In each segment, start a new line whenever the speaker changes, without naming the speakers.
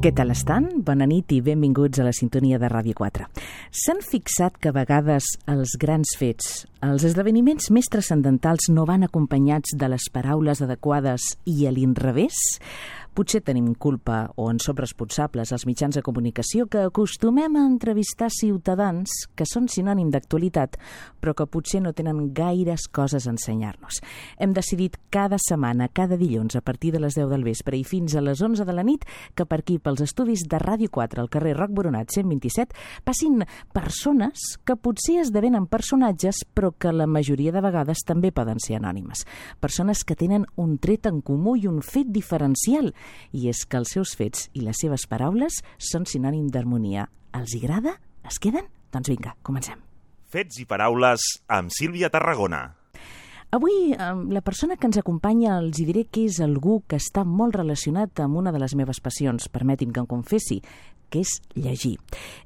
Què tal estan? Bona nit i benvinguts a la sintonia de Ràdio 4. S'han fixat que a vegades els grans fets, els esdeveniments més transcendentals no van acompanyats de les paraules adequades i a l'inrevés? Potser tenim culpa o en som responsables els mitjans de comunicació que acostumem a entrevistar ciutadans que són sinònim d'actualitat, però que potser no tenen gaires coses a ensenyar-nos. Hem decidit cada setmana, cada dilluns, a partir de les 10 del vespre i fins a les 11 de la nit, que per aquí, pels estudis de Ràdio 4, al carrer Roc Boronat 127, passin persones que potser esdevenen personatges, però que la majoria de vegades també poden ser anònimes. Persones que tenen un tret en comú i un fet diferencial, i és que els seus fets i les seves paraules són sinònim d'harmonia. Els hi agrada? Es queden? Doncs vinga, comencem.
Fets i paraules amb Sílvia Tarragona.
Avui, la persona que ens acompanya els hi diré que és algú que està molt relacionat amb una de les meves passions, permeti'm que em confessi, que és llegir.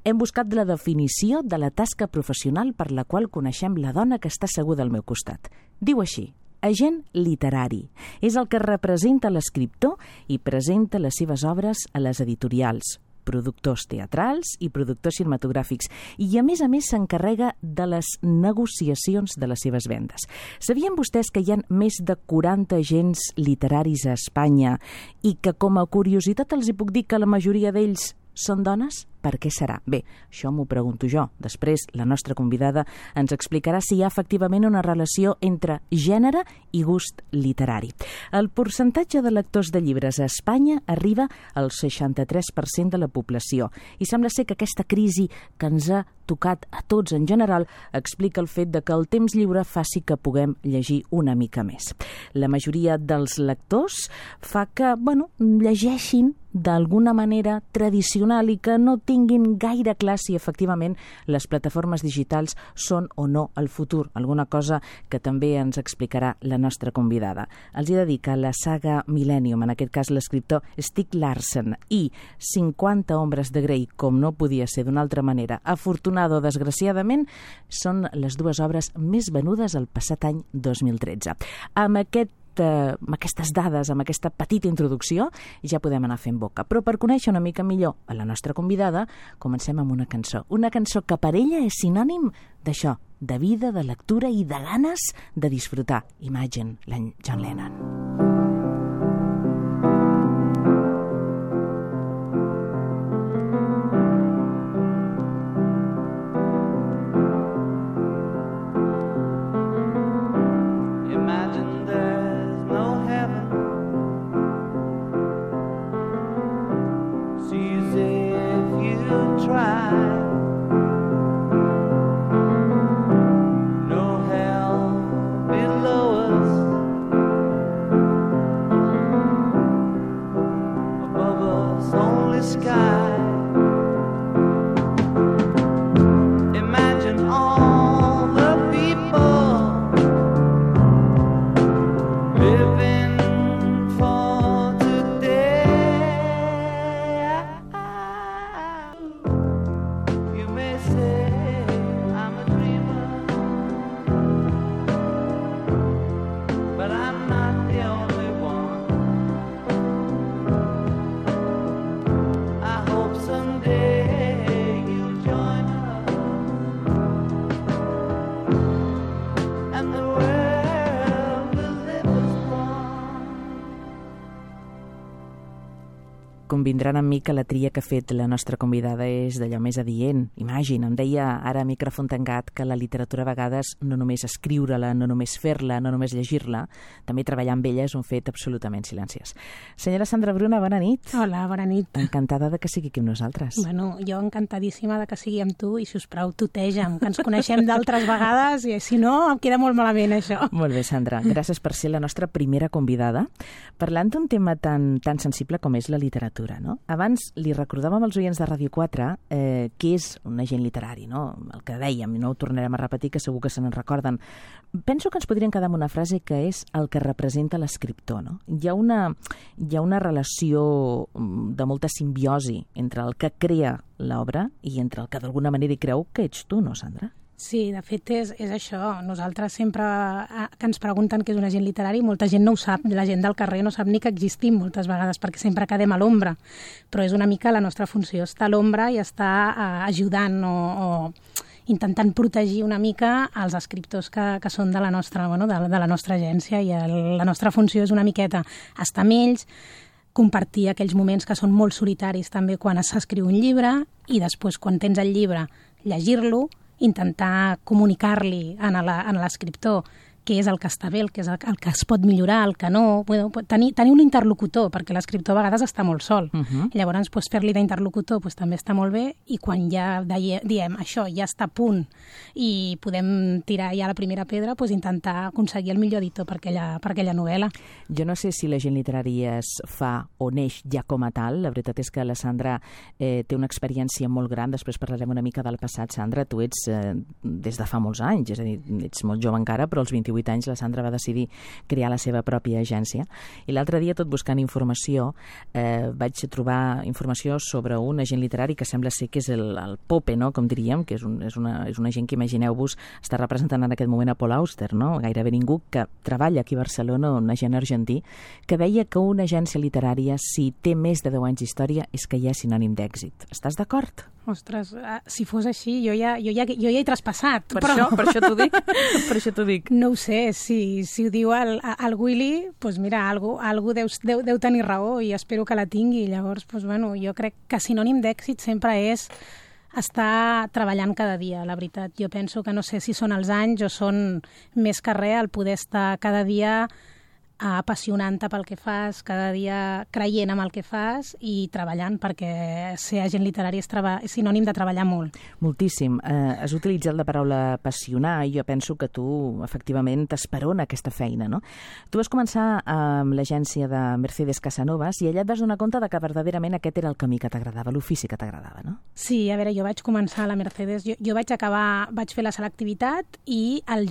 Hem buscat la definició de la tasca professional per la qual coneixem la dona que està asseguda al meu costat. Diu així: agent literari. És el que representa l'escriptor i presenta les seves obres a les editorials, productors teatrals i productors cinematogràfics, i a més s'encarrega de les negociacions de les seves vendes. Sabien vostès que hi ha més de 40 agents literaris a Espanya i que, com a curiositat, els hi puc dir que la majoria d'ells són dones? Per què serà? Bé, això m'ho pregunto jo. Després, la nostra convidada ens explicarà si hi ha efectivament una relació entre gènere i gust literari. El percentatge de lectors de llibres a Espanya arriba al 63% de la població i sembla ser que aquesta crisi que ens ha tocat a tots en general explica el fet de que el temps lliure faci que puguem llegir una mica més. La majoria dels lectors fa que, llegeixin d'alguna manera tradicional i que no tinguin gaire clar si efectivament les plataformes digitals són o no el futur, alguna cosa que també ens explicarà la nostra convidada. Els he de dir que la saga Millennium, en aquest cas l'escriptor Stieg Larsson, i 50 ombres de Grey, com no podia ser d'una altra manera, afortunada o desgraciadament, són les dues obres més venudes el passat any 2013. Amb aquestes dades, amb aquesta petita introducció, ja podem anar fent boca. Però per conèixer una mica millor a la nostra convidada, comencem amb una cançó. Una cançó que per ella és sinònim d'això, de vida, de lectura i de ganes de disfrutar. Imagine, l'any John Lennon. Convindran amb mi que la tria que ha fet la nostra convidada és d'allò més adient. Imagina, em deia ara a micròfon tancat que la literatura a vegades no només escriure-la, no només fer-la, no només llegir-la, també treballar amb ella és un fet absolutament silenciós. Senyora Sandra Bruna, bona nit.
Hola, bona nit.
Encantada de que sigui aquí amb nosaltres.
Bueno, jo encantadíssima de que sigui amb tu i, sisplau, tuteja'm, que ens coneixem d'altres vegades i si no em queda molt malament això.
Molt bé, Sandra. Gràcies per ser la nostra primera convidada parlant d'un tema tan sensible com és la literatura. No? Abans li recordàvem als oients de Ràdio 4 què és un agent literari, no? El que dèiem, i no ho tornarem a repetir, que segur que se n'en recorden. Penso que ens podríem quedar amb una frase que és el que representa l'escriptor. No? Hi ha una relació de molta simbiosi entre el que crea l'obra i entre el que d'alguna manera hi creu que ets tu, no, Sandra?
Sí, de fet és això. Nosaltres sempre que ens pregunten què és un agent literari, molta gent no ho sap, la gent del carrer no sap ni que existim moltes vegades, perquè sempre quedem a l'ombra. Però és una mica la nostra funció, estar a l'ombra i estar ajudant o intentant protegir una mica els escriptors que són de la nostra agència, i la nostra funció és una miqueta estar amb ells, compartir aquells moments que són molt solitaris també quan s'escriu un llibre, i després, quan tens el llibre, llegir-lo, intentar comunicar-li a l'escriptor què és el que està bé, el que es pot millorar, el que no. Tenir un interlocutor, perquè l'escriptor a vegades està molt sol. Llavors, fer-li d'interlocutor també està molt bé, i quan ja diem això ja està a punt i podem tirar ja la primera pedra, intentar aconseguir el millor editor per aquella novel·la.
Jo no sé si l'agent literari es fa o neix ja com a tal. La veritat és que la Sandra té una experiència molt gran. Després parlarem una mica del passat. Sandra, tu ets des de fa molts anys, és a dir, ets molt jove encara, però als 28 anys la Sandra va decidir crear la seva pròpia agència. I l'altre dia, tot buscant informació, vaig trobar informació sobre un agent literari que sembla ser que és el Pope, no?, com diríem, que és un agent que, imagineu-vos, està representant en aquest moment a Paul Auster, no?, gairebé ningú, que treballa aquí a Barcelona, un agent argentí, que deia que una agència literària, si té més de 10 anys d'història, és que ja és sinònim d'èxit. Estàs d'acord?
Ostres, si fos així, jo ja he traspassat.
Per això t'ho dic. Per això t'ho dic.
No ho sé, si ho diu el Willy, doncs mira, algú deu tenir raó, i espero que la tingui. Llavors, jo crec que sinònim d'èxit sempre és estar treballant cada dia, la veritat. Jo penso que no sé si són els anys o són més que res el poder estar cada dia apassionant-te pel que fas, cada dia creient en el que fas i treballant, perquè ser agent literari és sinònim de treballar molt.
Moltíssim. Has utilitzat la paraula apassionar, i jo penso que tu, efectivament, t'esperona aquesta feina, no? Tu vas començar amb l'agència de Mercedes Casanovas i allà et vas donar compte de que verdaderament aquest era el camí que t'agradava, l'ofici que t'agradava, no?
Sí, a veure, jo vaig començar a la Mercedes, jo vaig fer la selectivitat, i aquell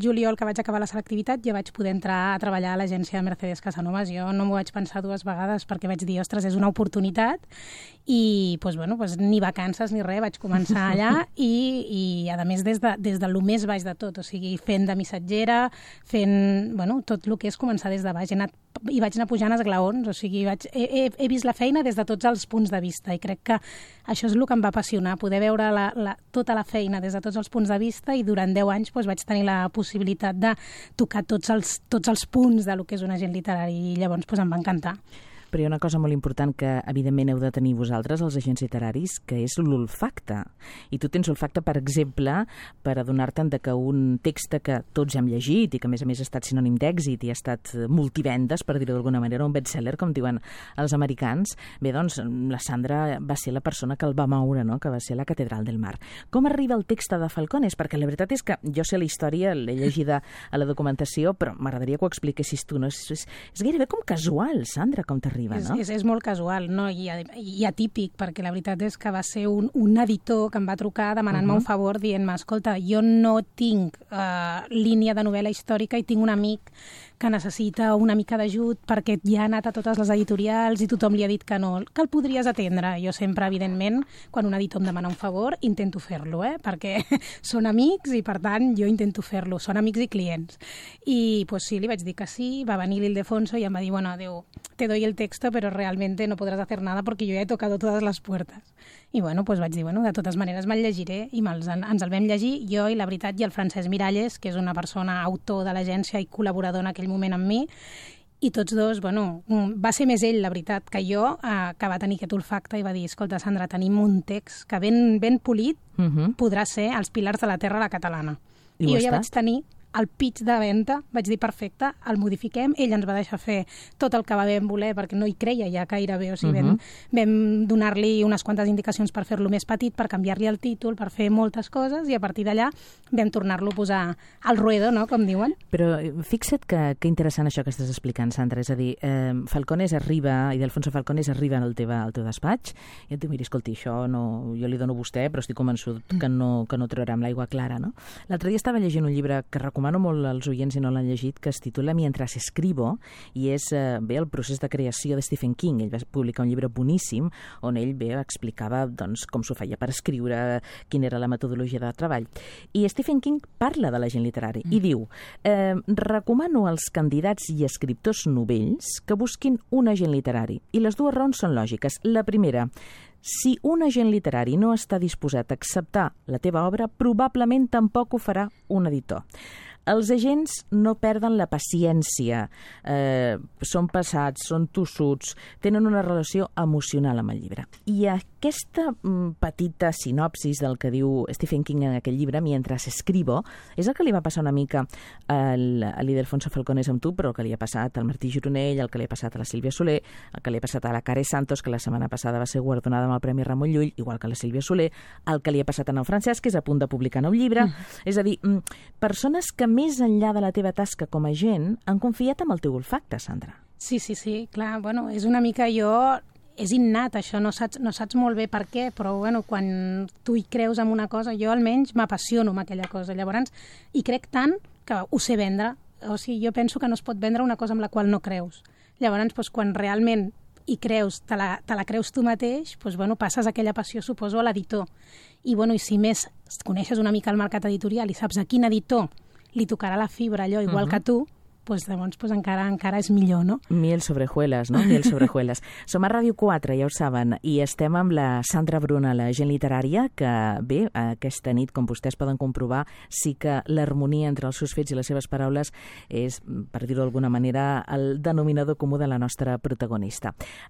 juliol que vaig acabar la selectivitat ja vaig poder entrar a treballar a l'agència de Mercedes Casanovas. Jo no m'ho vaig pensar dues vegades, perquè vaig dir, ostres, és una oportunitat, i ni vacances ni res, vaig començar allà, i a més des de lo més baix de tot, o sigui, fent de missatgera, fent tot el que és començar des de baix. I vaig anar pujant esglaons, o sigui, he vist la feina des de tots els punts de vista, i crec que això és el que em va apassionar, poder veure tota la feina des de tots els punts de vista, i durant 10 anys vaig tenir la possibilitat de tocar tots els punts de lo que és un agent literari, i llavors em va encantar.
Però hi ha una cosa molt important que, evidentment, heu de tenir vosaltres, els agents literaris, que és l'olfacte. I tu tens olfacte, per exemple, per adonar-te'n que un text que tots hem llegit i que, a més, ha estat sinònim d'èxit i ha estat multivendes, per dir-ho d'alguna manera, un bestseller, com diuen els americans, bé, doncs, la Sandra va ser la persona que el va moure, no?, que va ser la Catedral del Mar. Com arriba el text de Falcones? Perquè la veritat és que jo sé la història, l'he llegida a la documentació, però m'agradaria que ho expliquessis tu, no? És gairebé com casual, Sandra, com t'arriba.
És molt casual, no? I atípic, perquè la veritat és que va ser un editor que em va trucar demanant-me un favor, dient-me, escolta, jo no tinc línia de novel·la històrica i tinc un amic que necessita una mica d'ajut perquè ja ha anat a totes les editorials i tothom li ha dit que no, que el podries atendre. Jo sempre, evidentment, quan un editor em demana un favor, intento fer-lo, perquè són amics i, per tant, jo intento fer-lo. Són amics i clients. I, sí, li vaig dir que sí, va venir l'Ildefonso i em va dir, bueno, adeu, te doy el texto, pero realmente no podrás hacer nada porque yo ya he tocado todas las puertas. I, vaig dir, de totes maneres me'l llegiré, i ens el vam llegir, jo i la veritat, i el Francesc Miralles, que és una persona autor de l'agència i col·laborador en aquell moment amb mi, i tots dos, va ser més ell, la veritat, que jo, que va tenir aquest olfacte i va dir, escolta, Sandra, tenim un text que ben polit podrà ser Els pilars de la terra a la catalana. I jo ja vaig tenir el pitch de venda, vaig dir, perfecte, el modifiquem, ell ens va deixar fer tot el que vam voler, perquè no hi creia ja gairebé, o sigui, vam donar-li unes quantes indicacions per fer-lo més petit, per canviar-li el títol, per fer moltes coses, i a partir d'allà vam tornar-lo a posar al ruedo, no?, com diuen.
Però fixa't que interessant això que estàs explicant, Sandra, és a dir, Falcones arriba, Ildefonso Falcones arriba al teu despatx, i et diu, mira, escolti, això no, jo li dono a vostè, però estic convençut que no traurà amb l'aigua clara, no? L'altre dia estava llegint un llibre que recomano recomano molt als oients si no l'han llegit, que es titula Mientras escribo, i és el procés de creació de Stephen King. Ell va publicar un llibre boníssim on ell explicava com s'ho feia per escriure, quina era la metodologia de treball. I Stephen King parla de l'agent literari i diu: recomano als candidats i escriptors novells que busquin un agent literari. I les dues raons són lògiques. La primera, si un agent literari no està disposat a acceptar la teva obra, probablement tampoc ho farà un editor. Els agents no perden la paciència, són pesats, són tossuts, tenen una relació emocional amb el llibre. I aquesta petita sinopsis del que diu Stephen King en aquell llibre, Mientras escribo, és el que li va passar una mica a l'Ildefonso Falcones amb tu, però el que li ha passat al Martí Gironell, el que li ha passat a la Sílvia Soler, el que li ha passat a la Care Santos, que la setmana passada va ser guardonada amb el Premi Ramon Llull, igual que a la Sílvia Soler, el que li ha passat a en Francesc, que és a punt de publicar nou llibre. És a dir, persones que més enllà de la teva tasca com a agent han confiat en el teu olfacte, Sandra.
Sí, clar, és una mica és innat això, no saps molt bé per què, però quan tu hi creus en una cosa, jo almenys m'apassiono amb aquella cosa. Llavors, hi crec tant que ho sé vendre. O sigui, jo penso que no es pot vendre una cosa amb la qual no creus. Llavors, quan realment hi creus, te la creus tu mateix, passes aquella passió, suposo, a l'editor. I si més coneixes una mica el mercat editorial i saps a quin editor li tocarà la fibra allò igual que tu, llavors encara és millor, no?
Miel sobre hojuelas, no? Miel sobre hojuelas. Som a Ràdio 4, ja ho saben, i estem amb la Sandra Bruna, l'agent literària, que bé, aquesta nit, com vostès poden comprovar, sí que l'harmonia entre els seus fets i les seves paraules és, per dir-ho d'alguna manera, el denominador comú de la nostra protagonista.